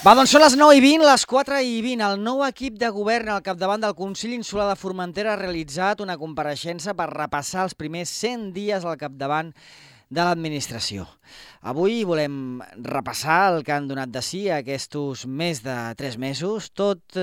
Va, doncs són les 9:20, les 4:20. El nou equip de govern al capdavant del Consell Insular de Formentera ha realitzat una compareixença per repassar els primers 100 dies al capdavant de l'administració. Avui volem repassar el que han donat de si aquests més de 3 mesos, tot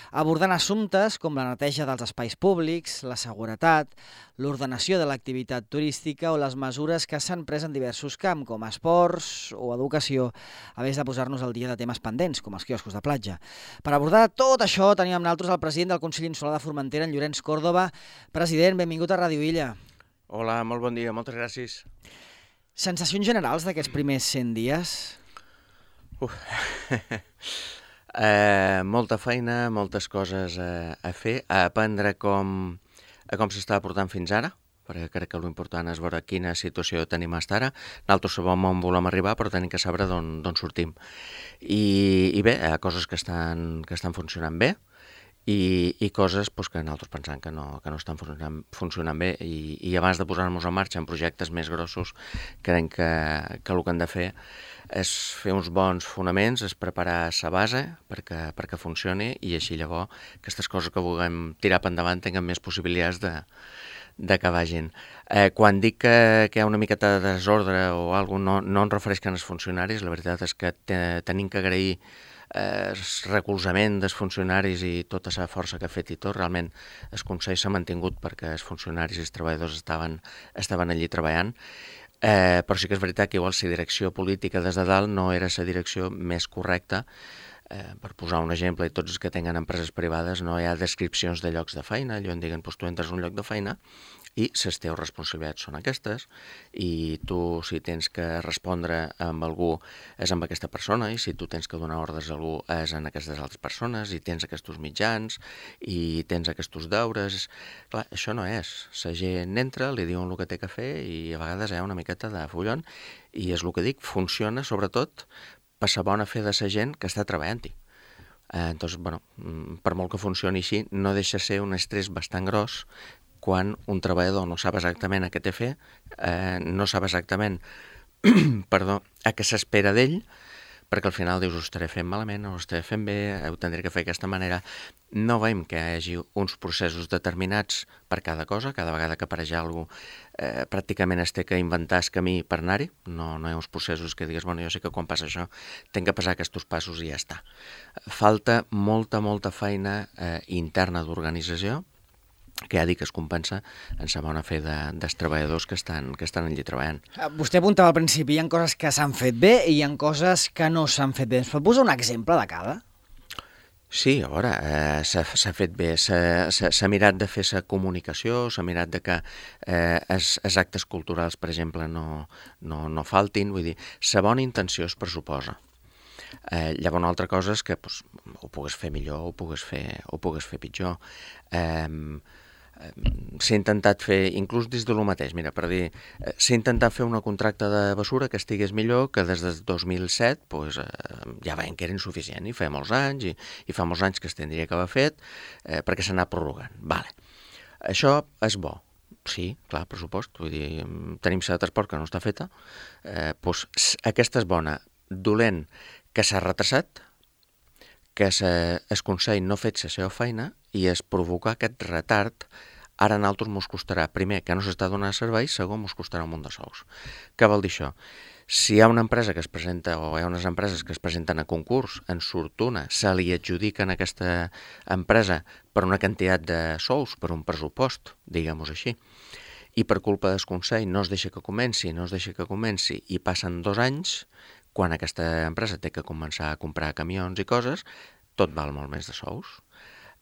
abordant assumptes com la neteja dels espais públics, la seguretat, l'ordenació de l'activitat turística o les mesures que s'han pres en diversos camps, com esports o educació, a més de posar-nos al dia de temes pendents, com els quioscos de platja. Per abordar tot això tenim amb nosaltres el president del Consell Insular de Formentera, en Llorenç Còrdova. President, benvingut a Ràdio Illa. Hola, molt bon dia, moltes gràcies. Sensacions generals d'aquests primers 100 dies? Molta feina, moltes coses a fer, a aprendre com s'estava portant fins ara, perquè crec que l'important és veure quina situació tenim fins ara. Nosaltres sabem on volem arribar, però tenim que saber d'on sortim. I bé, hi ha coses que estan funcionant bé, i coses que nosaltres pensem que no estan funcionant bé i abans de posar-nos en marxa en projectes més grossos crec que el que hem de fer és fer uns bons fonaments, és preparar la base perquè funcioni i així llavors aquestes coses que vulguem tirar per endavant tinguin més possibilitats de que vagin. Quan dic que hi ha una miqueta de desordre o alguna cosa, no em refereix als funcionaris, la veritat és que tenim que agrair el recolzament dels funcionaris i tota la força que ha fet i tot. Realment el Consell s'ha mantingut perquè els funcionaris i els treballadors estaven allí treballant, però sí que és veritat que igual la direcció política des de dalt no era la direcció més correcta. Per posar un exemple, i tots els que tenen empreses privades no hi ha descripcions de llocs de feina, allò en diguen, tu entres a un lloc de feina i les teves responsabilitats són aquestes i tu si tens que respondre amb algú és amb aquesta persona i si tu tens que donar ordres a algú és en aquestes altres persones i tens aquests mitjans i tens aquests deures. Clar, això no és. La gent entra, li diuen el que té que fer i a vegades hi ha una miqueta de follon i és el que dic, funciona sobretot per la bona fe de la gent que està treballant-hi. Doncs, per molt que funcioni així, no deixa ser un estrès bastant gros quan un treballador no sap exactament a què té fer, no sap exactament a què s'espera d'ell, perquè al final dius, ho estaré fent malament, ho estaré fent bé, ho tindré que fer d'aquesta manera. No veiem que hi hagi uns processos determinats per cada cosa, cada vegada que apareix alguna cosa pràcticament es té que inventar el camí per anar-hi, no hi ha uns processos que digues, jo sé que quan passa això tinc que passar aquests passos i ja està. Falta molta feina interna d'organització, que ja dic que es compensa en la bona fe dels treballadors que estan allí treballant. Vostè apuntava al principi, hi ha coses que s'han fet bé i hi ha coses que no s'han fet bé. Ens pot posar un exemple de cada? Sí, a veure, s'ha fet bé, s'ha mirat de fer la comunicació, s'ha mirat de que els actes culturals, per exemple, no faltin, vull dir, la bona intenció es pressuposa. Llavors, una altra cosa és que ho pugues fer millor o ho pugues fer pitjor. S'ha intentat fer, inclús des de lo mateix, mira, per dir, s'ha intentat fer una contracta de bessura que estigués millor, que des del 2007 ja veiem que era insuficient, i fa molts anys, i fa molts anys que es tindria que haver fet, perquè s'ha anat prorrogant. Vale. Això és bo. Sí, clar, per supost. Vull dir, tenim la de transport que no està feta, aquesta és bona. Dolent, que s'ha retrasat, que el Consell no ha fet la seva feina i es provocar aquest retard. Ara a nosaltres ens costarà, primer, que no s'està donant servei, segon, ens costarà un munt de sous. Què vol dir això? Si hi ha una empresa que es presenta, o hi ha unes empreses que es presenten a concurs, en surt una, se li adjudiquen a aquesta empresa per una quantitat de sous, per un pressupost, diguem-ho així, i per culpa del Consell no es deixa que comenci, i passen 2 anys, quan aquesta empresa té que començar a comprar camions i coses, tot val molt més de sous.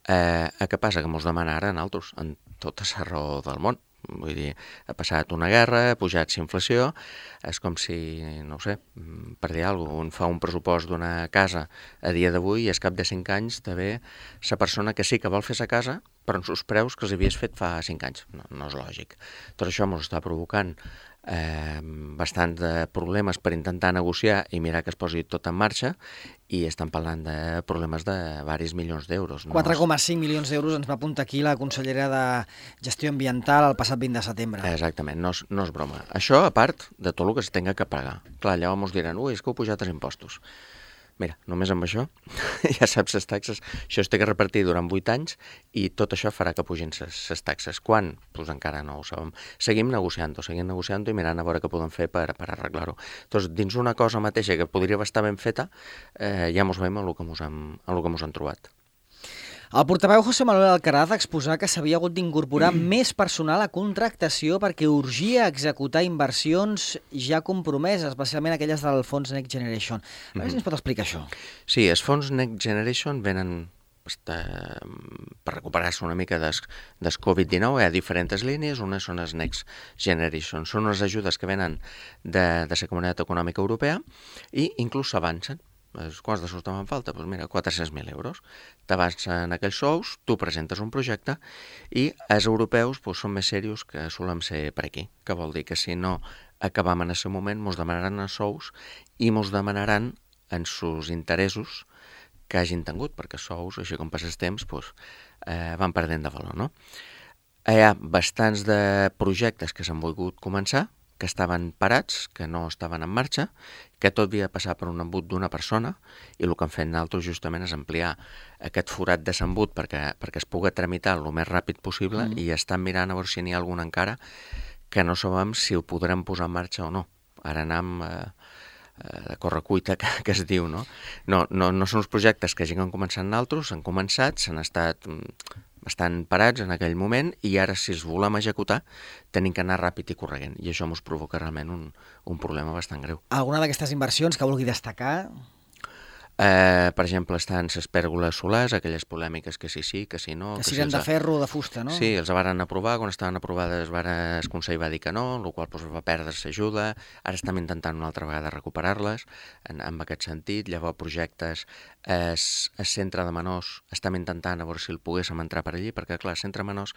Què passa? Que ens demana ara a nosaltres, en tota la raó del món. Vull dir, ha passat una guerra, ha pujat la inflació, és com si, no ho sé, per dir alguna cosa, un fa un pressupost d'una casa a dia d'avui i al cap de 5 anys també la persona que sí que vol fer la casa, però amb els preus que els havies fet fa 5 anys. No és lògic. Tot això ens està provocant bastants de problemes per intentar negociar i mirar que es posi tot en marxa i estan parlant de problemes de diversos milions d'euros. 4,5 milions d'euros ens va apuntar aquí la consellera de Gestió Ambiental el passat 20 de setembre. Exactament, no és broma. Això a part de tot el que es tenga que pagar. Clar, llavors ens diran, és que heu pujat els impostos. Mira, només amb això, ja saps les taxes, això es té que repartir durant 8 anys i tot això farà que pugin les taxes. Quan? Doncs encara no ho sabem. Seguim negociant i mirant a veure què podem fer per arreglar-ho. Doncs dins una cosa mateixa que podria estar ben feta, ja mos veiem en el que mos han trobat. El portaveu José Manuel Alcaraz exposà que s'havia hagut d'incorporar més personal a contractació perquè urgia executar inversions ja compromeses, especialment aquelles del fons Next Generation. A veure si ens pot explicar això. Sí, els fons Next Generation venen per recuperar-se una mica del Covid-19. Hi ha diferents línies, unes són les Next Generation. Són unes ajudes que venen de la Comunitat Econòmica Europea i inclús s'avancen. Quants de sous te'n falta? Doncs mira, 400.000 euros. T'avancen aquells sous, tu presentes un projecte i els europeus són més serios que solem ser per aquí. Que vol dir que si no acabam en aquest moment, mos demanaran els sous i mos demanaran en sus interessos que hagin tingut, perquè els sous, així com passa el temps, van perdent de valor, no? Hi ha bastants de projectes que s'han volgut començar, que estaven parats, que no estaven en marxa, que tot havia de passar per un embut d'una persona, i el que hem fet nosaltres justament és ampliar aquest forat de s'embut perquè es pugui tramitar el més ràpid possible i estan mirant a veure si n'hi ha algun encara que no sabem si ho podrem posar en marxa o no. Ara anem de correcuita, que es diu, no? No són els projectes que hagin començat nosaltres, s'han començat, s'han estat estan parats en aquell moment i ara si els volem executar tenim que anar ràpid i corregent i això ens provoca realment un problema bastant greu. Alguna d'aquestes inversions que vulgui destacar? Per exemple, estan les pèrgoles solars, aquelles polèmiques que sí, que sí no... Que siguin de ferro o de fusta, no? Sí, els varen aprovar, quan estaven aprovades el Consell va dir que no, el qual va perdre l'ajuda, ara estem intentant una altra vegada recuperar-les en aquest sentit, llavors projectes, el centre de menors estem intentant a veure si el poguéssim entrar per allí, perquè clar, el centre de menors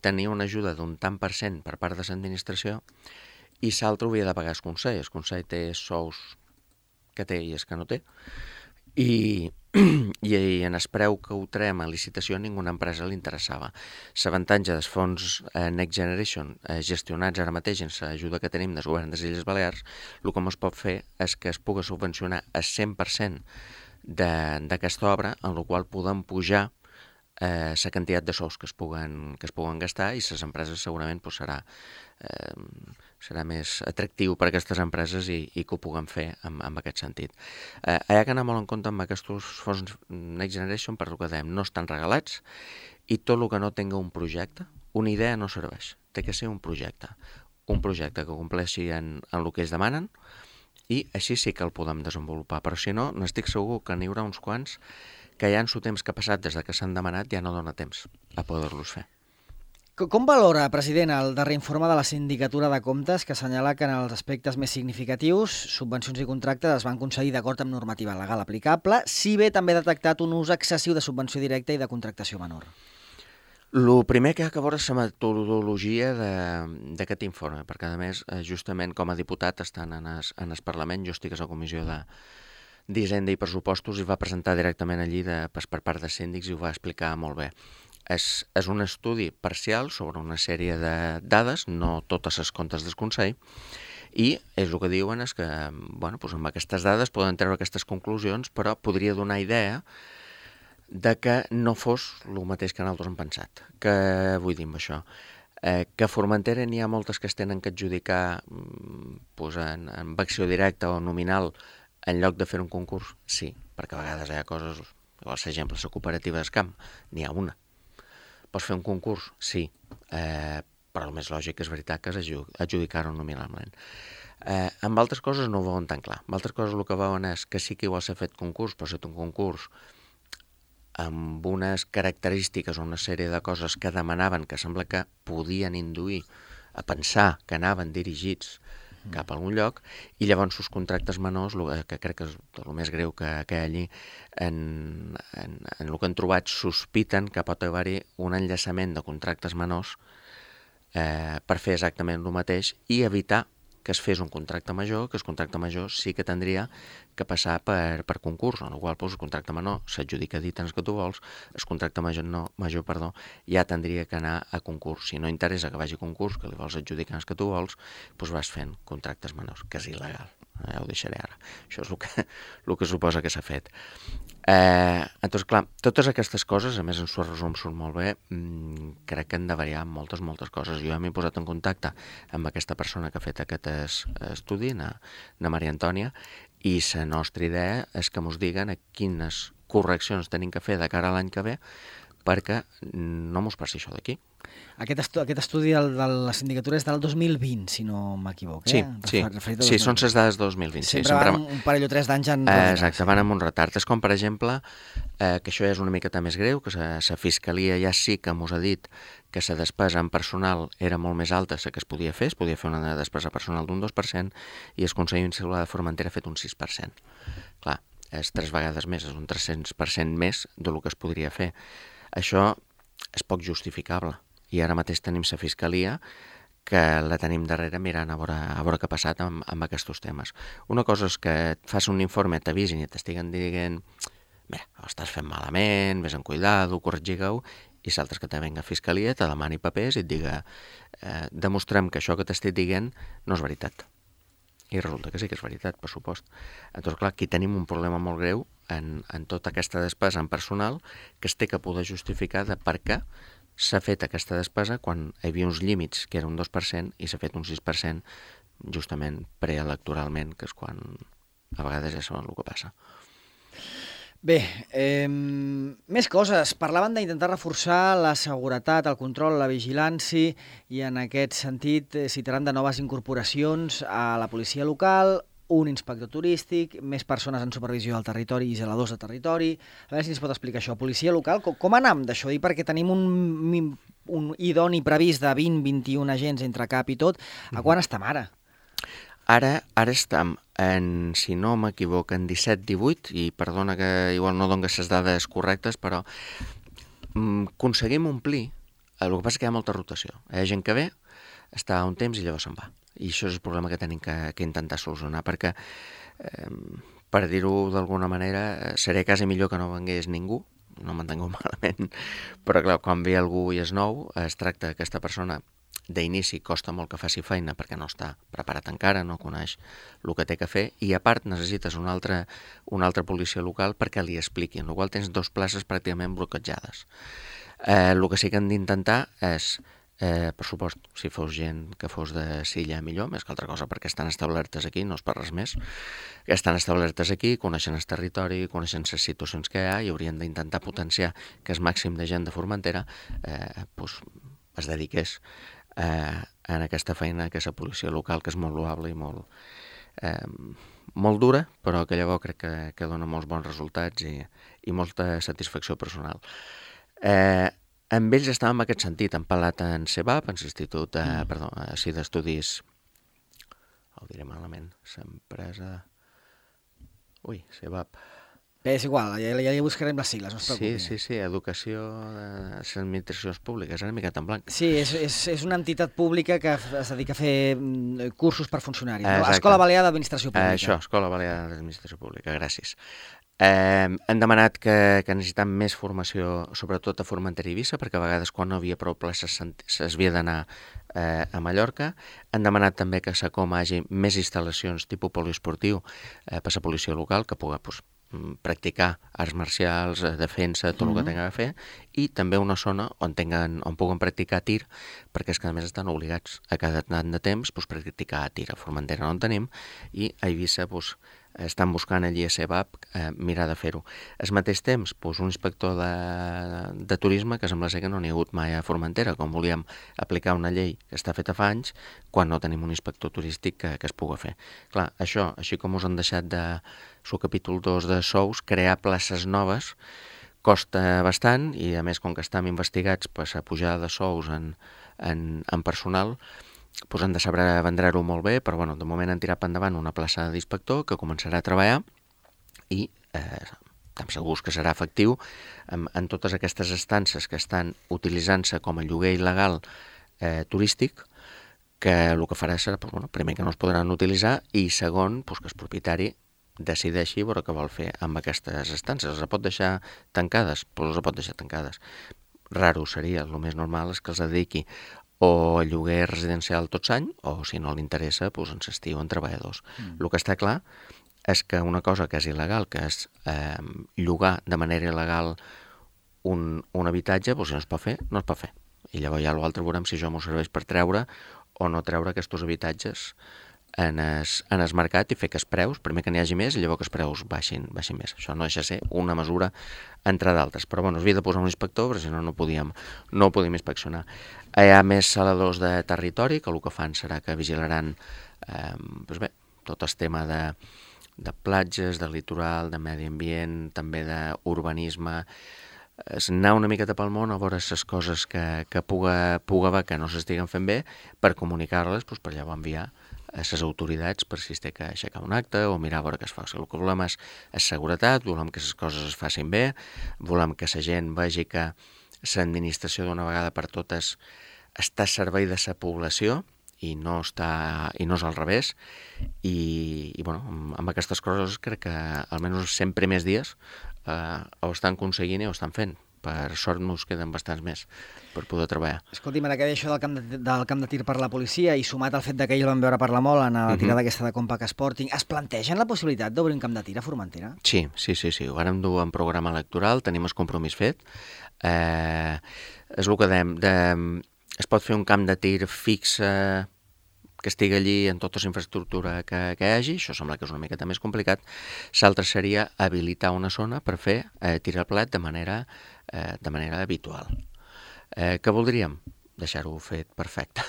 tenia una ajuda d'un tant per cent per part de l'administració i l'altre ho havia de pagar el Consell té sous que té i els que no té, i en el preu que ho traiem a licitació ninguna empresa li interessava. L'avantatge dels fons Next Generation gestionats ara mateix en l'ajuda que tenim del govern de les Illes Balears, el que es pot fer és que es pugui subvencionar el 100% d'aquesta obra, en la qual podem pujar la quantitat de sous que es puguen gastar i les empreses segurament serà més atractiu per a aquestes empreses i que ho puguem fer en aquest sentit. Hi ha que anar molt en compte amb aquests fons Next Generation per el que dèiem, no estan regalats i tot el que no tinga un projecte, una idea no serveix, té que ser un projecte que compleixi en el que ells demanen i així sí que el podem desenvolupar, però si no, n'estic segur que n'hi haurà uns quants que ja en el temps que ha passat des que s'han demanat ja no dona temps a poder-los fer. Com valora, president, el darrer informe de la Sindicatura de Comptes que assenyala que en els aspectes més significatius subvencions i contractes es van concedir d'acord amb normativa legal aplicable, si bé també ha detectat un ús excessiu de subvenció directa i de contractació menor? El primer que ha de veure és la metodologia d'aquest informe, perquè a més, justament com a diputat estant en el Parlament, jo estic a la Comissió d'Hisenda i Pressupostos i va presentar directament allí per part dels síndics i ho va explicar molt bé. És un estudi parcial sobre una sèrie de dades, no totes les comptes del Consell, i és el que diuen és que amb aquestes dades poden treure aquestes conclusions, però podria donar idea de que no fos el mateix que nosaltres hem pensat. Què vull dir amb això? Que a Formentera n'hi ha moltes que es tenen que adjudicar amb acció directa o nominal en lloc de fer un concurs? Sí, perquè a vegades hi ha coses, per exemple, la cooperativa d'Escamp, n'hi ha una. Pots fer un concurs? Sí, però el més lògic és veritat que és adjudicar-ho nominalment. Amb altres coses no ho veuen tan clar. Amb altres coses el que veuen és que sí que igual s'ha fet concurs, però s'ha fet un concurs amb unes característiques o una sèrie de coses que demanaven que sembla que podien induir a pensar que anaven dirigits cap a algun lloc, i llavors els contractes menors, que crec que és el més greu que hi ha allí, en el que han trobat sospiten que pot haver-hi un enllaçament de contractes menors per fer exactament el mateix i evitar que es fes un contracte major, que el contracte major sí que tindria que passar per concurs, en el qual el contracte menor s'adjudica dit en el que tu vols, el contracte major ja tindria que anar a concurs. Si no interessa que vagi a concurs, que li vols adjudicar en el que tu vols, doncs vas fent contractes menors, que és il·legal. Ja ho deixaré ara. Això és el que suposa que s'ha fet. Doncs clar, totes aquestes coses, a més en su resum surt molt bé, crec que han de variar moltes coses. Jo m'he posat en contacte amb aquesta persona que ha fet aquest estudi, na Maria Antònia, i la nostra idea és que ens diguen a quines correccions tenim que fer de cara a l'any que ve perquè no mos passi això d'aquí. Aquest estudi de la sindicatura és del 2020, si no m'equivoco. Sí, són les dades 2020. Sempre van un parell o tres d'anys enrere. Exacte, van amb un retard. És com, per exemple, que això és una miqueta més greu, que la Fiscalia ja sí que mos ha dit que la despesa en personal era molt més alta que es podia fer una despesa personal d'un 2%, i el Consell Insular de Formentera ha fet un 6%. Clar, és 3 vegades més, és un 300% més del que es podria fer. Això és poc justificable. I ara mateix tenim la Fiscalia que la tenim darrere mirant a veure què ha passat amb aquests temes. Una cosa és que et fas un informe, t'avisin i t'estiguen dient ho estàs fent malament, vés amb cuidado, corregigueu, i l'altre que te venga a Fiscalia, te demani papers i et diga demostrem que això que t'estic dient no és veritat. I resulta que sí que és veritat, per supost. Doncs clar, aquí tenim un problema molt greu en tota aquesta despesa en personal que es té que poder justificar de per què s'ha fet aquesta despesa quan hi havia uns límits que era un 2% i s'ha fet un 6% justament preelectoralment, que és quan a vegades ja saben el que passa. Bé, més coses. Parlaven d'intentar reforçar la seguretat, el control, la vigilància, i en aquest sentit citaran de noves incorporacions a la policia local, un inspector turístic, més persones en supervisió del territori i zeladors de territori. A veure si ens pot explicar això. Policia local, com anem d'això? I perquè tenim un idoni previst de 20-21 agents entre cap i tot. A quan estem ara? Ara estem si no m'equivoco, en 17-18, i perdona que igual no dones les dades correctes, però aconseguim omplir. El que passa que hi ha molta rotació. Hi ha gent que ve, està un temps i llavors se'n va. I això és el problema que tenim que intentar solucionar, perquè, per dir-ho d'alguna manera, seria quasi millor que no vengués ningú, no m'entengueu malament, però clar, quan ve algú i és nou, es tracta d'aquesta persona d'inici costa molt que faci feina perquè no està preparat encara, no coneix el que té que fer, i a part necessites una altra policia local perquè li expliqui, en la qual tens 2 places pràcticament bloquejades. El que sí que hem d'intentar és, per supost, si fos gent que fos de Silla millor, més que altra cosa perquè estan establertes aquí, no és per res més, que estan establertes aquí, coneixen el territori, coneixen les situacions que hi ha, i haurien d'intentar potenciar que el màxim de gent de Formentera es dediqués en aquesta feina que és la policia local, que és molt loable i molt dura, però que llavors crec que dona molts bons resultats i molta satisfacció personal. Amb ells estàvem en aquest sentit, hem parlat en CEBAP, en l'Institut d'Estudis, ho diré malament, l'empresa... CEBAP. Bé, és igual, ja buscarem les sigles, no es preocupi. Sí, Educació de les Administracions Públiques, ara mica en blanc. Sí, és una entitat pública que es dedica a fer cursos per funcionaris. No? Escola Balear d'Administració Pública. Això, Escola Balear d'Administració Pública, gràcies. Hem demanat que necessitem més formació, sobretot a Formentera i Eivissa, perquè a vegades quan no havia prou places s'havia d'anar a Mallorca. Han demanat també que SACOM hagi més instal·lacions tipus poliesportiu per a la policia local, que pugui practicar arts marcials, defensa, tot el que tinguin a fer, i també una zona on puguen practicar tir, perquè és que a més estan obligats a cada tant de temps practicar tir. A Formentera no en tenim, i a Eivissa estan buscant allí a CEBAP mirar de fer-ho. Al mateix temps, un inspector de turisme, que sembla ser que no n'hi ha hagut mai a Formentera, com volíem aplicar una llei que està feta fa anys, quan no tenim un inspector turístic que es pugui fer. Clar, això, així com us han deixat de el capítol 2 de sous, crear places noves costa bastant, i a més, com que estem investigats a pujar de sous en personal, han de saber vendre-ho molt bé, però de moment han tirat endavant una plaça d'inspector que començarà a treballar i estem segurs que serà efectiu en totes aquestes estances que estan utilitzant-se com a lloguer il·legal turístic, que el que farà serà, primer, que no es podran utilitzar, i segon, que el propietari decideixi veure què vol fer amb aquestes estances. Les pot deixar tancades? Les pot deixar tancades. Raro seria, el més normal és que els dediqui o lloguer residencial tot l'any, o si no li interessa, doncs en l'estiu en treballadors. El que està clar és que una cosa que és il·legal, que és llogar de manera il·legal un habitatge, doncs si no es pot fer, no es pot fer. I llavors ja l'altre veurem si això m'ho serveix per treure o no treure aquests habitatges en el mercat i fer que els preus, primer que n'hi hagi més i llavors que els preus baixin més. Això no deixa de ser una mesura entre d'altres. Però bueno, es havia de posar un inspector, perquè si no, no podíem inspeccionar. Hi ha més saladors de territori, que el que fan serà que vigilaran tot el tema de platges, de litoral, de medi ambient, també d'urbanisme, és anar una miqueta pel món a veure les coses que puga haver que no s'estiguen fent bé per comunicar-les, per llavors enviar a les autoritats per si es té que aixecar un acte o mirar a veure què es fa. El que volem és seguretat, volem que les coses es facin bé, volem que la gent vegi que l'administració d'una vegada per totes està al servei de la població i no és al revés. I bueno, amb aquestes coses crec que almenys els 100 primers dies ho estan aconseguint i ho estan fent. Per sort nos queden bastants més per poder treballar. Escolti'm, ara que deia això del camp de tir per la policia i sumat al fet que ahir el vam veure parlar molt en la tirada aquesta de Compact Sporting, es plantegen la possibilitat d'obrir un camp de tir a Formentera? Sí. Ho vàrem dur en programa electoral, tenim el compromís fet. És el que dèiem, es pot fer un camp de tir fix que estigui allí en tota la infraestructura que hi hagi, això sembla que és una miqueta més complicat. L'altre seria habilitar una zona per fer tir al plat de manera habitual. Què voldríem? Deixar-ho fet perfecte.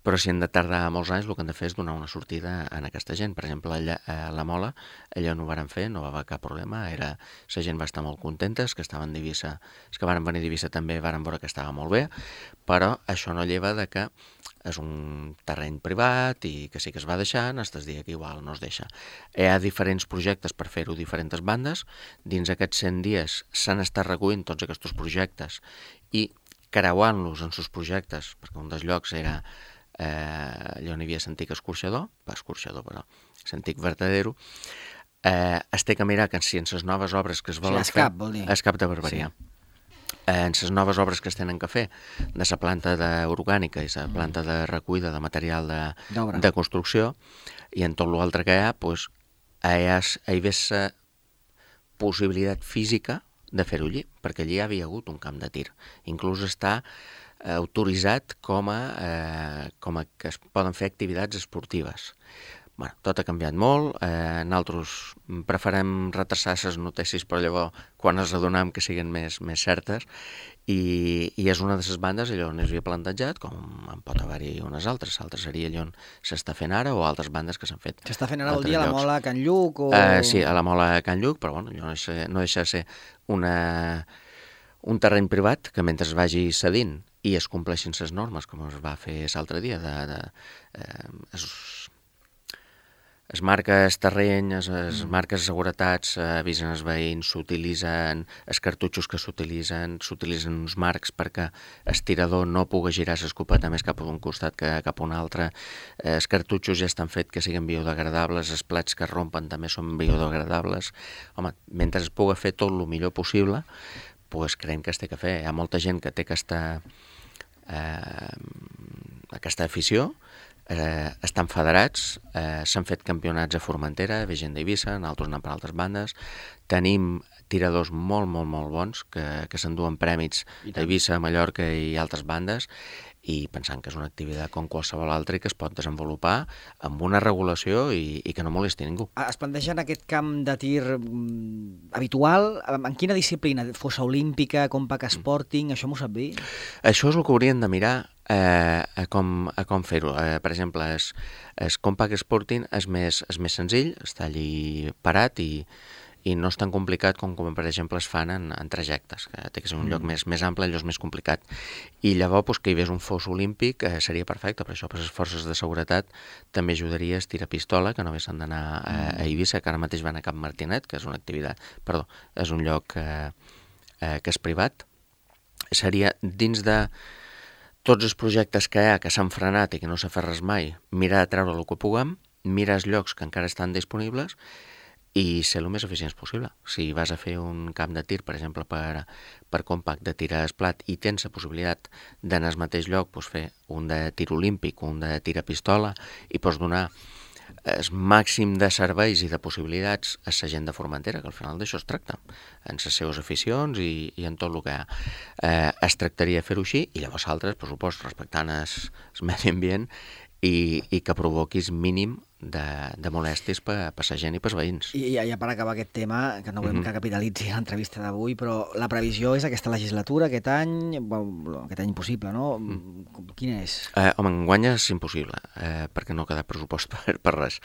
Però si hem de tardar molts anys, el que hem de fer és donar una sortida a aquesta gent. Per exemple, a la Mola, allò no ho varen fer, no va haver cap problema, la gent va estar molt contenta, els que estaven d'Eivissa, els que varen venir d'Eivissa també varen veure que estava molt bé, però això no lleva de que és un terreny privat i que sí que es va deixant, fins el dia que igual no es deixa. Hi ha diferents projectes per fer-ho diferents bandes, dins aquests 100 dies s'han estat recollint tots aquests projectes i creuant-los en els projectes, perquè un dels llocs era allà on hi havia l'antic escorxador, però l'antic vertedero, es té que mirar que si en les noves obres que es volen fer... Escap, vol dir. Escap de Barberia. Sí. En les noves obres que es tenen que fer de la planta orgànica i la planta de recollida de material de construcció i en tot l'altre que hi ha, hi ve la possibilitat física de fer-ho allí, perquè allí hi havia hagut un camp de tir. Inclús està autoritzat com a que es poden fer activitats esportives. Bueno, tot ha canviat molt, nosaltres preferem retrasar les notícies per llavors quan ens adonem que siguin més certes i és una de les bandes allò on es havia plantejat, com en pot haver-hi unes altres seria allò on s'està fent ara o altres bandes que s'han fet. S'està fent ara vol dir a la Mola a Can Lluc? Sí, a la Mola a Can Lluc, però bueno, allò no deixa de ser un terreny privat que mentre es vagi cedint i es compleixin les normes, com es va fer l'altre dia, les marques terreny, les marques de seguretats avisen els veïns, s'utilitzen els cartutxos que s'utilitzen uns marcs perquè el tirador no pugui girar l'escopeta més cap a un costat que cap a un altre. Els cartutxos ja estan fets que siguin biodegradables, els plats que es rompen també són biodegradables. Home, mentre es pugui fer tot el millor possible, creiem que es té que fer. Hi ha molta gent que té aquesta afició, estan federats, s'han fet campionats a Formentera, ve gent d'Eivissa, nosaltres anem per altres bandes, tenim tiradors molt bons que s'enduen prèmits a Eivissa, a Mallorca i altres bandes, i pensant que és una activitat com qualsevol altra i que es pot desenvolupar amb una regulació i que no molesti ningú. Es planteja en aquest camp de tir habitual, en quina disciplina? Fossa olímpica, Compact Sporting, això m'ho sap dir? Això és el que haurien de mirar a com fer-ho. Per exemple, el Compact Sporting és més senzill, està allí parat i no és tan complicat com per exemple es fan en trajectes, que té que ser un lloc més ample, allò és més complicat. I llavors que hi hagués un fos olímpic seria perfecte, per això per les forces de seguretat també ajudaria a estirar pistola, que no haguessin d'anar a Eivissa, que ara mateix van a Cap Martinet, que és una activitat, és un lloc que és privat. Seria dins de tots els projectes que hi ha, que s'han frenat i que no s'ha fet res mai, mirar de treure el que puguem, mirar els llocs que encara estan disponibles i ser el més eficients possible. Si vas a fer un camp de tir, per exemple, per compact de tir a esplat i tens la possibilitat d'anar al mateix lloc, doncs fer un de tir olímpic, un de tir a pistola, i pots donar el màxim de serveis i de possibilitats a la gent de Formentera, que al final d'això es tracta, en les seves aficions i en tot el que es tractaria de fer-ho així, i llavors altres, per supost, respectant el medi ambient i que provoquis mínim de molèsties per la gent i pels veïns. I ja per acabar aquest tema, que no volem que capitalitzi l'entrevista d'avui, però la previsió és aquesta legislatura, aquest any impossible, no? Quina és? Home, enguany és impossible, perquè no ha quedat pressupost per res.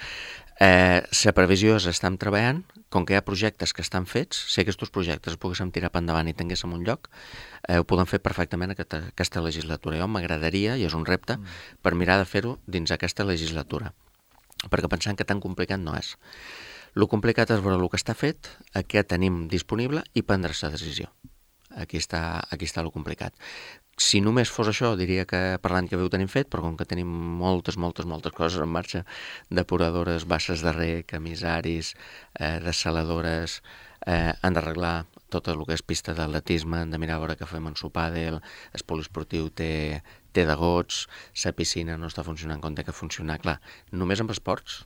La previsió és estar treballant, com que hi ha projectes que estan fets, si aquests projectes es poguéssim tirar per endavant i tinguéssim un lloc, ho podem fer perfectament aquesta legislatura. Jo m'agradaria, i és un repte, per mirar de fer-ho dins aquesta legislatura, perquè pensant que tan complicat no és. El complicat és veure el que està fet, què tenim disponible i prendre la decisió. Aquí està el complicat. Si només fos això, diria que per l'any que ve ho tenim fet, però com que tenim moltes coses en marxa, depuradores, basses de rec, emissaris, dessaladores, han d'arreglar tot el que és pista d'atletisme, hem de mirar a veure què fem en sopàdel, el poliesportiu té de gots, la piscina no està funcionant com té que funcionar. Clar, només amb esports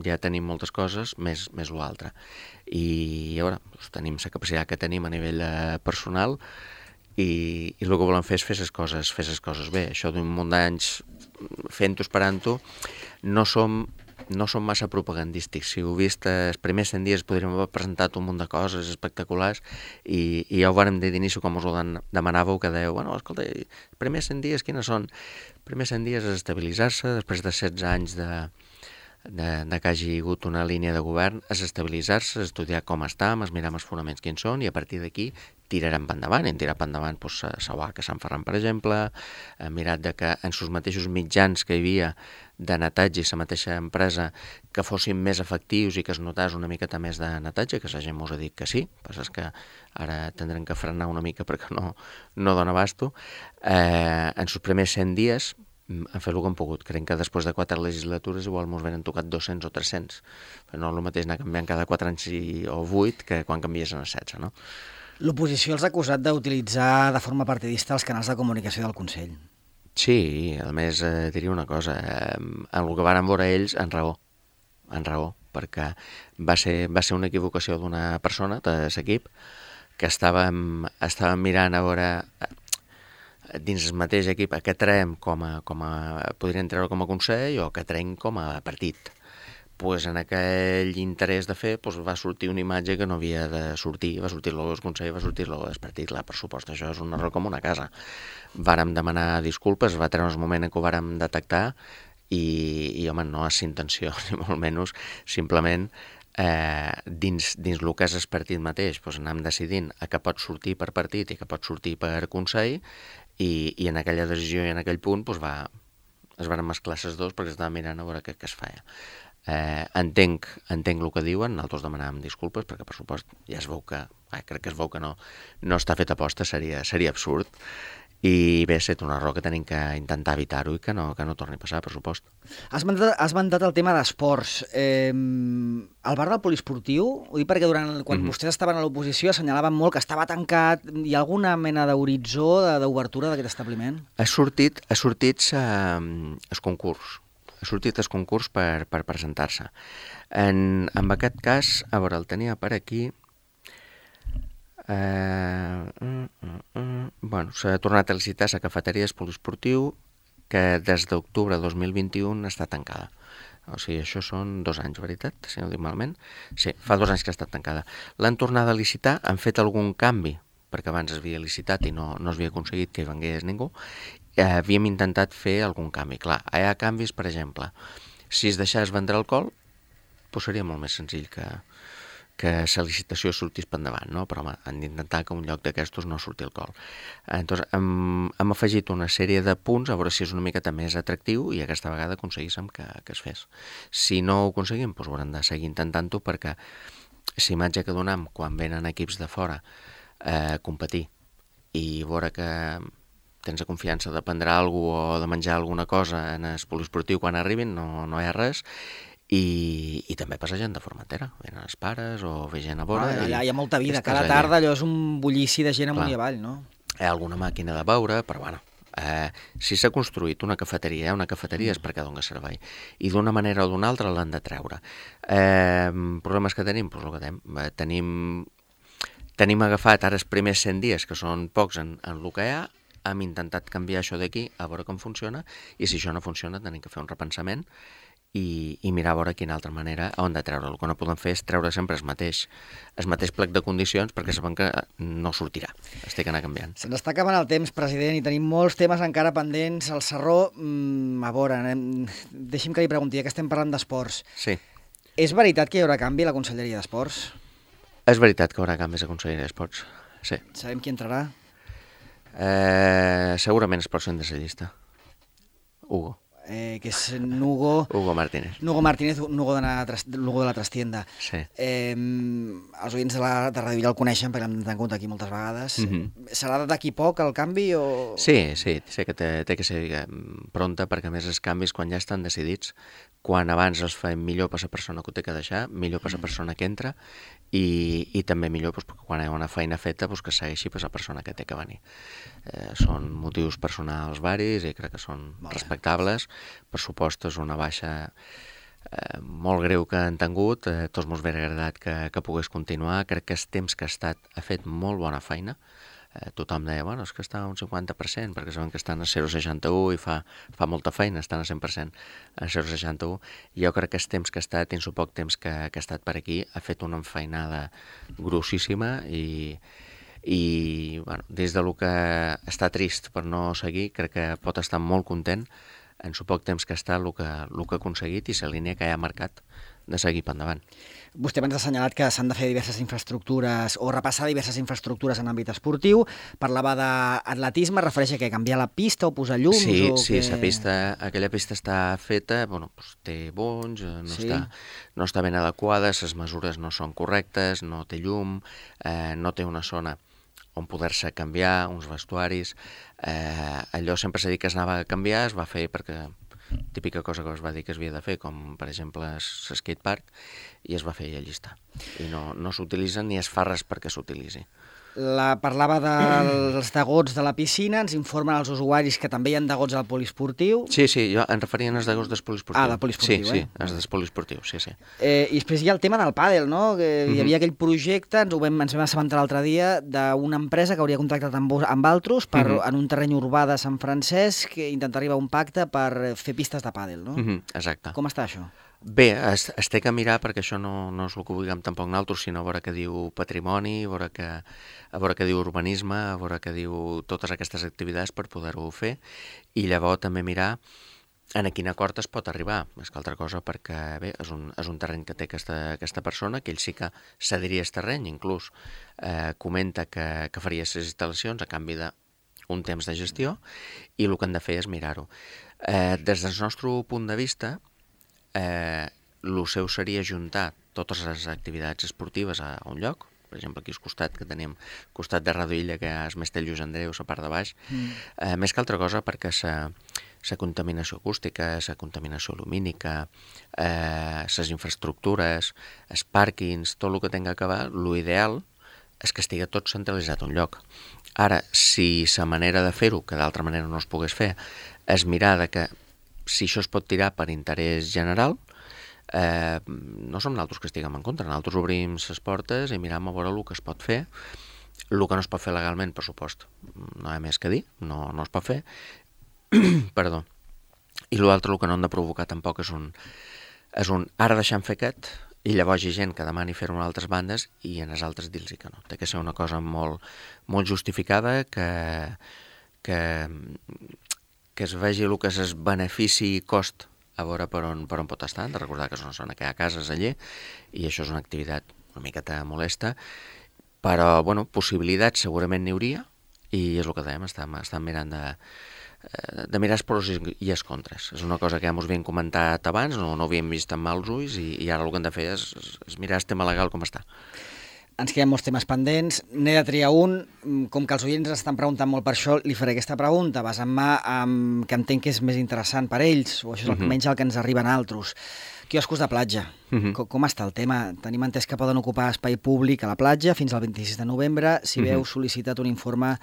ja tenim moltes coses, més l'altre. I a veure, tenim la capacitat que tenim a nivell personal i el que volem fer és fer les coses bé. Això d'un munt d'anys fent-ho, esperant-ho, no som massa propagandístics. Si heu vist, els primers 100 dies podríem haver presentat un munt de coses espectaculars i ja ho vàrem dir d'inici, com us ho demanàveu, que dèieu, bueno, escolta, els primers 100 dies quines són? Els primers 100 dies és estabilitzar-se, després de 16 anys de que hagi hagut una línia de govern, és estabilitzar-se, estudiar com estem, mirar els fonaments quins són, i a partir d'aquí tirarem endavant. Hem tirat endavant la UAC a Sant Ferran, per exemple, hem mirat que en els mateixos mitjans que hi havia de netatge i la mateixa empresa que fossin més efectius i que es notàs una miqueta més de netatge, que la gent mos ha dit que sí, però és que ara tindrem que frenar una mica perquè no dona abasto. En els primers 100 dies han fet el que han pogut. Crec que després de 4 legislatures igual ens venen tocat 200 o 300. Però no és el mateix anar canviant cada 4 anys o 8 que quan canvies en 16, no? L'oposició els ha acusat d'utilitzar de forma partidista els canals de comunicació del Consell. Sí, a més diria una cosa, en el que van veure ells, en raó, perquè va ser una equivocació d'una persona de l'equip que estàvem mirant a veure dins el mateix equip a què traiem podrien treure com a consell o que traiem com a partit. Pues en aquell interès de fer va sortir una imatge que no havia de sortir, va sortir el logo del Consell, va sortir el logo del partit, clar, per supost, això és un error com una casa. Vàrem demanar disculpes, va treure el moment en què ho vàrem detectar i home, no és intenció, ni molt menys, simplement dins el que és el partit mateix, anem decidint a què pot sortir per partit i què pot sortir per Consell i en aquella decisió i en aquell punt es van mesclar les dues perquè estàvem mirant a veure què es feia. Entenc el que diuen, nosaltres demanàvem disculpes perquè per supost ja es veu que crec que es veu que no està fet aposta, seria absurd i bé, és un error que tenim que intentar evitar-ho i que no torni a passar, per supost. Has mandat el tema d'esports. El bar del poliesportiu, ho dic perquè quan vostès estaven a l'oposició assenyalaven molt que estava tancat. Hi ha alguna mena d'horitzó d'obertura d'aquest establiment? Ha sortit el concurs. Ha sortit el concurs per presentar-se. En aquest cas, a veure, el tenia per aquí. S'ha tornat a licitar la cafeteria del poliesportiu que des d'octubre de 2021 està tancada. O sigui, això són 2 anys, veritat? Si no ho dic malament. Sí, fa 2 anys que està tancada. L'han tornat a licitar, han fet algun canvi, perquè abans es havia licitat i no es havia aconseguit que hi vengués ningú. Havíem intentat fer algun canvi. Clar, hi ha canvis, per exemple, si es deixés vendre alcohol, seria molt més senzill que la licitació sortís per endavant, no? Però home, han d'intentar que un lloc d'aquestos no surti alcohol. Entonces, hem afegit una sèrie de punts a veure si és una miqueta més atractiu i aquesta vegada aconseguíssim que es fes. Si no ho aconseguim, haurem de seguir intentant-ho perquè la imatge que donem quan venen equips de fora a competir i veure que tens la confiança de prendre alguna cosa o de menjar alguna cosa en el poliesportiu quan arribin, no hi ha res. i també passa gent de Formentera, venen els pares o ve gent a vora. Allà hi ha molta vida, cada tarda allò és un bullici de gent amunt i avall, no? Hi ha alguna màquina de beure, però bueno, si s'ha construït una cafeteria és perquè dona servei, i d'una manera o d'una altra l'han de treure. Problemes que tenim? Doncs el que tenim agafat ara els primers 100 dies, que són pocs en el que hi ha, hem intentat canviar això d'aquí, a veure com funciona, i si això no funciona tenim que fer un repensament i mirar a veure quina altra manera on de treure. El que no podem fer és treure sempre el mateix plec de condicions, perquè sabem que no sortirà, es té que anar canviant. Se'ns està acabant el temps, president, i tenim molts temes encara pendents. El Sarró, a veure, deixi'm que li pregunti, que estem parlant d'esports. Sí. És veritat que hi haurà canvi a la Conselleria d'Esports? És veritat que hi haurà canvis a Conselleria d'Esports, sí. Sabem qui entrarà? Segurament el pròxim de la llista. Hugo. Que és Nugo Martínez. Nugo Martínez, Nugo de la Trastienda. Sí. Els oients de Radio Vila el coneixen perquè l'hem tingut aquí moltes vegades. Serà d'aquí poc el canvi o...? Sí, sé que té que ser pronta, perquè a més els canvis quan ja estan decidits, quan abans els fem millor per la persona que ho té que deixar, millor per la persona que entra, i també millor perquè quan hi ha una feina feta que segueixi per la persona que té que venir. Són motius personals varis i crec que són respectables. Per supost, és una baixa molt greu que han tingut, tots mos hauria agradat que pogués continuar. Crec que el temps que ha estat ha fet molt bona feina. Tothom deia, bueno, és que està a un 50%, perquè saben que estan a 0,61 i fa molta feina, estan a 100% a 0,61. Jo crec que el temps que ha estat, dins el poc temps que ha estat per aquí, ha fet una enfeinada grossíssima i bueno, des del que està trist per no seguir, crec que pot estar molt content en el poc temps que està el que ha aconseguit i la línia que ja ha marcat de seguir per endavant. Vostè abans ha assenyalat que s'han de fer diverses infraestructures o repassar diverses infraestructures en àmbit esportiu. Parlava d'atletisme, refereix a què? Canviar la pista o posar llums? Sí, aquella pista està feta, té bonys, no està ben adequada, les mesures no són correctes, no té llum, no té una zona on poder-se canviar, uns vestuaris. Allò sempre s'ha dit que es anava a canviar, es va fer perquè típica cosa que es va dir que es havia de fer, com per exemple l'skatepark, i es va fer i allí està. I no s'utilitza ni es fa res perquè s'utilitzi. Parlava dels degots de la piscina, ens informen els usuaris que també hi ha degots al poliesportiu. Sí, jo em referia als degots del poliesportiu. Del poliesportiu, Sí, els del poliesportiu, sí. I després hi ha el tema del pàdel, no? Hi havia aquell projecte, ens vam assabentar l'altre dia, d'una empresa que hauria contractat amb altres en un terreny urbà de Sant Francesc, que intenta arribar a un pacte per fer pistes de pàdel, no? Exacte. Com està això? Bé, es té que mirar, perquè això no és el que vulguem tampoc nosaltres, sinó a veure què diu patrimoni, a veure què diu urbanisme, a veure què diu totes aquestes activitats per poder-ho fer, i llavors també mirar en quin acord es pot arribar. Més que altra cosa, perquè bé, és un terreny que té aquesta persona, que ell sí que cediria el terreny, inclús comenta que faria les instal·lacions a canvi d'un temps de gestió, i el que han de fer és mirar-ho. Des del nostre punt de vista, el seu seria juntar totes les activitats esportives a un lloc. Per exemple, aquí al costat, que tenim costat de Radio Illa, que és Mestell Lluís Andreu, la part de baix, més que altra cosa perquè la contaminació acústica, la contaminació lumínica, les infraestructures, els pàrquings, tot el que tinga que acabar, l'ideal és que estigui tot centralitzat a un lloc. Ara, si la manera de fer-ho, que d'altra manera no es pogués fer, és mirar que si això es pot tirar per interès general, no som nosaltres que estiguem en contra, nosaltres obrim les portes i miram a veure el que es pot fer. El que no es pot fer legalment, per supost, no hi ha més que dir, no es pot fer. Perdó. I l'altre, el que no hem de provocar tampoc és un ara deixem fer aquest, i llavors hi ha gent que demani fer-ho a altres bandes i en les altres dir-los que no. Té que ser una cosa molt, molt justificada, que es vegi el que és el benefici i cost a veure per on pot estar. Hem de recordar que és una zona que hi ha cases allí i això és una activitat una miqueta molesta, però possibilitats segurament n'hi hauria, i és el que dèiem, estem mirant de mirar els pros i els contres. És una cosa que ja ens havíem comentat abans, no havíem vist amb mals ulls, i ara el que hem de fer és mirar el tema legal com està. Ens queden molts temes pendents. N'he de triar un. Com que els oients estan preguntant molt per això, li faré aquesta pregunta, basant-me que entenc que és més interessant per ells, o això és almenys el que ens arriben a altres. Quioscos de platja. Com està el tema? Tenim entès que poden ocupar espai públic a la platja fins al 26 de novembre. Si bé heu sol·licitat un informe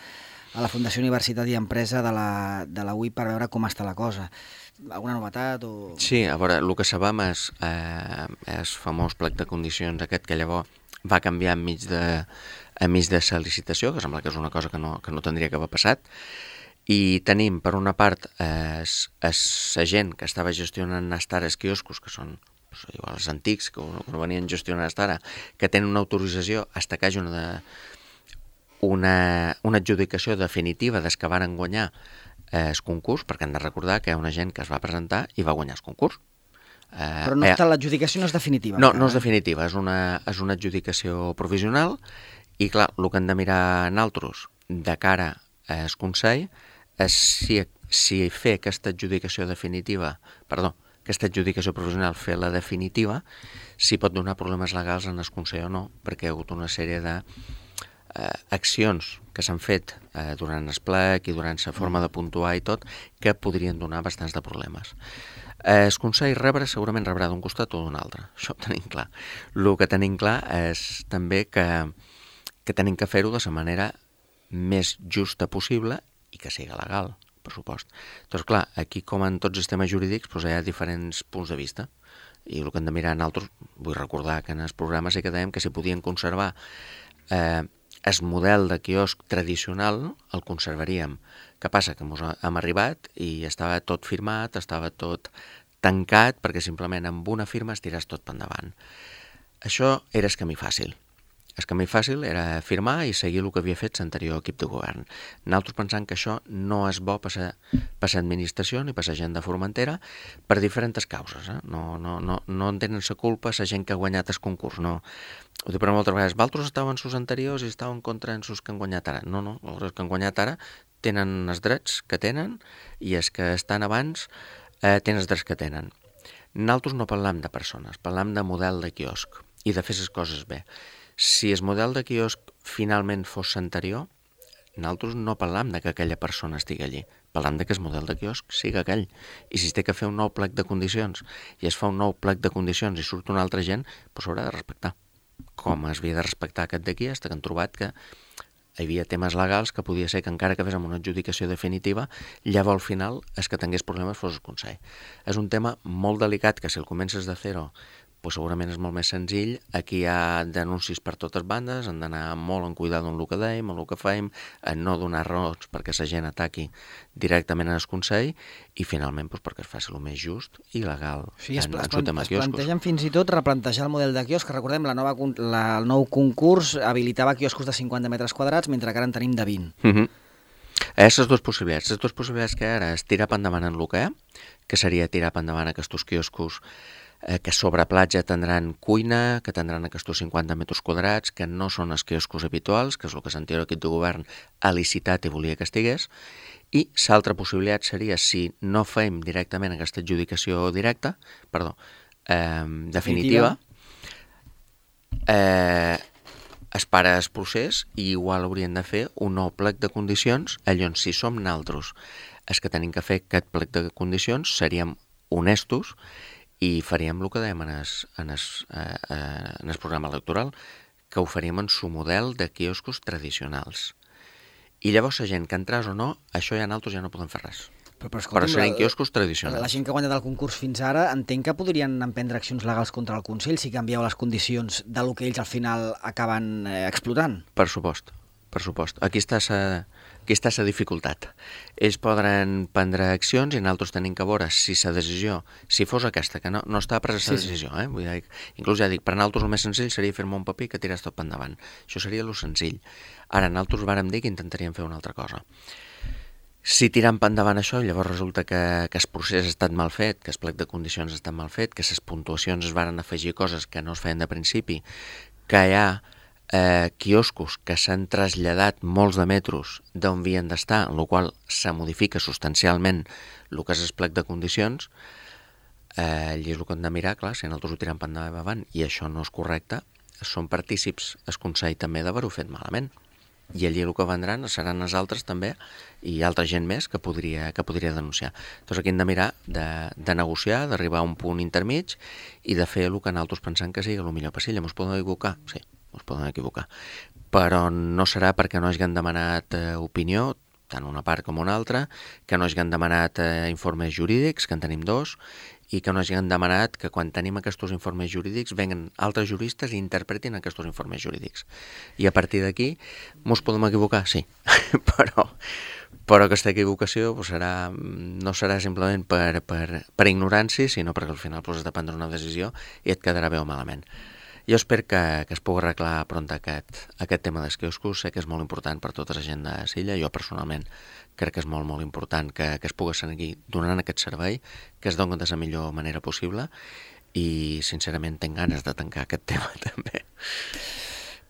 a la Fundació Universitat i Empresa de la UI per veure com està la cosa. Alguna novetat? Sí, a veure, el que sabem és famós plec de condicions aquest que llavors va canviar enmig de sol·licitació, que sembla que és una cosa que no tindria que haver passat, i tenim, per una part, la gent que estava gestionant fins ara els quioscos, que són els antics, que venien gestionant fins ara, que tenen una autorització fins que hi hagi una adjudicació definitiva des que van guanyar el concurs, perquè han de recordar que hi ha una gent que es va presentar i va guanyar el concurs. Però l'adjudicació no és definitiva. No és definitiva, és una adjudicació provisional i clar, el que hem de mirar nosaltres de cara al Consell és si fer aquesta adjudicació provisional, fer la definitiva, si pot donar problemes legals en el Consell o no, perquè hi ha hagut una sèrie d'accions que s'han fet durant el plec i durant la forma de puntuar i tot, que podrien donar bastants de problemes. El Consell segurament rebrà d'un costat o d'un altre, això ho tenim clar. El que tenim clar és també que tenim que fer-ho de la manera més justa possible i que sigui legal, per supost. Doncs clar, aquí com en tots els temes jurídics hi ha diferents punts de vista i el que hem de mirar nosaltres, vull recordar que en els programes sí que dèiem que si podien conservar el model de quiosc tradicional, el conservaríem. Què passa? Que hem arribat i estava tot firmat, estava tot tancat, perquè simplement amb una firma es tiràs tot per endavant. Això era el camí fàcil. El camí fàcil era firmar i seguir el que havia fet l'anterior equip de govern. Nosaltres pensant que això no és bo per l'administració ni per la gent de Formentera per diferents causes. No en tenen la culpa la gent que ha guanyat el concurs. No. Ho dic per moltes vegades, vosaltres estaven sus anteriors i estaven contra els que han guanyat ara. No, els que han guanyat ara tenen els drets que tenen i els que estan abans tenen els drets que tenen. Nosaltres no parlam de persones, parlam de model de quiosc i de fer les coses bé. Si el model de quiosc finalment fos l'anterior, nosaltres no parlam de que aquella persona estigui allí, parlam de que el model de quiosc sigui aquell. I si es té que fer un nou plec de condicions i es fa un nou plec de condicions i surt una altra gent, doncs s'haurà de respectar. Com es havia de respectar aquest d'aquí, fins que han trobat que hi havia temes legals que podia ser que encara que fes amb una adjudicació definitiva, llavors al final el que tingués problemes fos el Consell. És un tema molt delicat que si el comences de zero pues segurament és molt més senzill. Aquí hi ha denúncies per totes bandes, hem d'anar molt en cuidar amb el que dèiem, amb el que fem, en no donar raons perquè la gent ataqui directament al Consell i finalment perquè es faci el més just i legal en el tema quioscos. Es plantegen fins i tot replantejar el model de quiosc, que recordem, el nou concurs habilitava quioscos de 50 metres quadrats, mentre que ara en tenim de 20. Les dues possibilitats. Les dues possibilitats que ara és tirar per endavant en el que seria tirar per endavant aquests quioscos que sobre platja tindran cuina, que tindran aquests 50 metres quadrats, que no són els quioscos habituals, que és el que l'anterior equip de govern ha licitat i volia que estigués, i l'altra possibilitat seria, si no fem directament aquesta adjudicació definitiva, es para el procés i igual hauríem de fer un nou plec de condicions, llavors si som nosaltres els que tenim que fer aquest plec de condicions, seríem honestos i faríem el que dèiem en el programa electoral, que ho faríem en su model de quioscos tradicionals. I llavors la gent que entràs o no, això ja nosaltres ja no podem fer res. Però serien quioscos tradicionals. La gent que ha guanyat el concurs fins ara entenc que podrien emprendre accions legals contra el Consell si canvieu les condicions del que ells al final acaben explotant. Per supost. Aquí està la dificultat. Ells podran prendre accions i nosaltres tenim que veure si la decisió, si fos aquesta, que no està presa la decisió, vull dir, inclús ja dic, per nosaltres el més senzill seria fer-me un paper que tiràs tot per endavant. Això seria el senzill. Ara nosaltres vàrem dir que intentaríem fer una altra cosa. Si tirant per endavant això, llavors resulta que el procés ha estat mal fet, que el plec de condicions ha estat mal fet, que les puntuacions es varen afegir coses que no es feien de principi, que hi ha quioscos que s'han traslladat molts de metres d'on havien d'estar, en la qual se modifica substancialment el que és el plec de condicions, i és el que hem de mirar, clar, si nosaltres ho tirem per endavant i això no és correcte, són partícips el Consell també d'haver-ho fet malament. I allí el que vendran seran els altres també i altra gent més que podria denunciar. Doncs aquí hem de mirar de negociar, d'arribar a un punt intermig i de fer el que nosaltres pensem que sigui el millor per si. Ens podem equivocar? Sí, ens podem equivocar. Però no serà perquè no hagin demanat opinió, tant una part com una altra, que no hagin demanat informes jurídics, que en tenim 2, i que no hagin demanat que quan tenim aquests informes jurídics venguen altres juristes i interpretin aquests informes jurídics. I a partir d'aquí ens podem equivocar, sí, però aquesta equivocació no serà simplement per ignorància, sinó perquè al final has de prendre una decisió i et quedarà bé o malament. Jo espero que es pugui arreglar pront aquest tema dels quioscos. Sé que és molt important per tota la gent de Silla. Jo personalment crec que és molt, molt important que es pugui seguir donant aquest servei, que es doni de la millor manera possible i sincerament tinc ganes de tancar aquest tema també.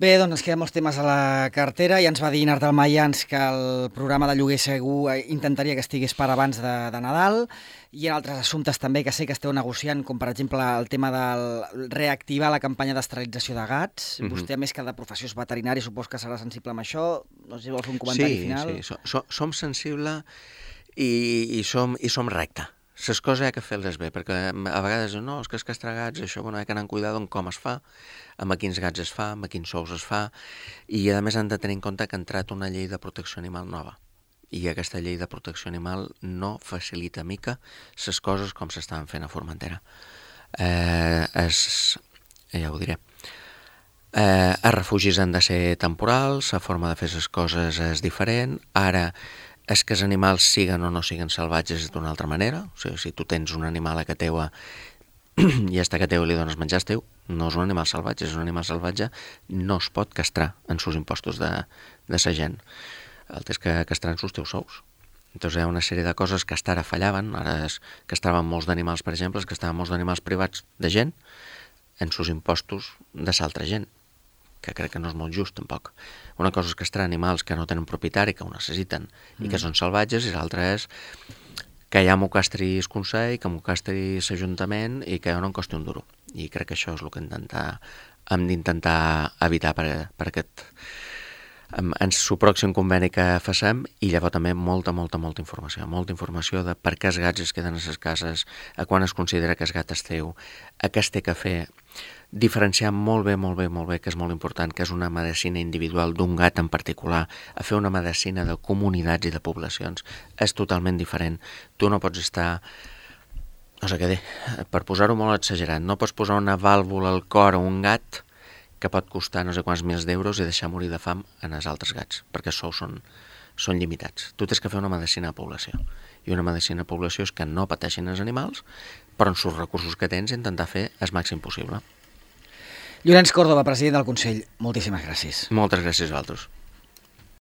Bé, doncs ens queden molts temes a la cartera i ens va dir Nartal Mayans que el programa de lloguer segur intentaria que estigués per abans de Nadal i en altres assumptes també que sé que esteu negociant, com per exemple el tema de reactivar la campanya d'esterilització de gats. Vostè, a més que de professió és veterinari, supos que serà sensible amb això. No sé si vol fer un comentari final. Sí, som sensibles i som recte. Les coses hi ha que fer-les bé, perquè a vegades no, és que els castragats, això, hi ha que anar amb cuidado en com es fa, amb quins gats es fa, amb quins sous es fa, i a més han de tenir en compte que ha entrat una llei de protecció animal nova, i aquesta llei de protecció animal no facilita mica les coses com s'estaven fent a Formentera. Ja ho diré. Els refugis han de ser temporals, la forma de fer les coses és diferent, ara és que els animals siguen o no siguen salvatges d'una altra manera. O sigui, si tu tens un animal a casa teua i a casa teua li dones menjar teu, no és un animal salvatge, és un animal salvatge, no es pot castrar en sus impostos de sa gent. El tens que castrar en sus teus sous. Entonces hi ha una sèrie de coses que hasta ara fallaven, ara es castraven molts d'animals, per exemple, es castraven molts d'animals privats de gent en sus impostos de s'altra gent, que crec que no és molt just, tampoc. Una cosa és castrar animals que no tenen propietari, que ho necessiten, i que són salvatges, i l'altra és que ja m'ho castri el Consell, que m'ho castri l'Ajuntament, i que jo no em costi un duro. I crec que això és el que hem d'intentar evitar per aquest en el pròxim conveni que facem, i llavors també molta informació de per què els gats es queden a les cases, a quan es considera que el gat és teu, a què es té que fer, diferenciar molt bé, que és molt important, que és una medicina individual d'un gat en particular, a fer una medicina de comunitats i de poblacions. És totalment diferent. Tu no pots estar, no sé què dir, per posar-ho molt exagerat, no pots posar una vàlvula al cor a un gat que pot costar no sé quants milers d'euros i deixar morir de fam en els altres gats, perquè els sous són limitats. Tu tens que fer una medicina de població. I una medicina de població és que no pateixin els animals, però amb els recursos que tens intentar fer el màxim possible. Llorenç Córdoba, president del Consell, moltíssimes gràcies. Moltes gràcies a vosaltres.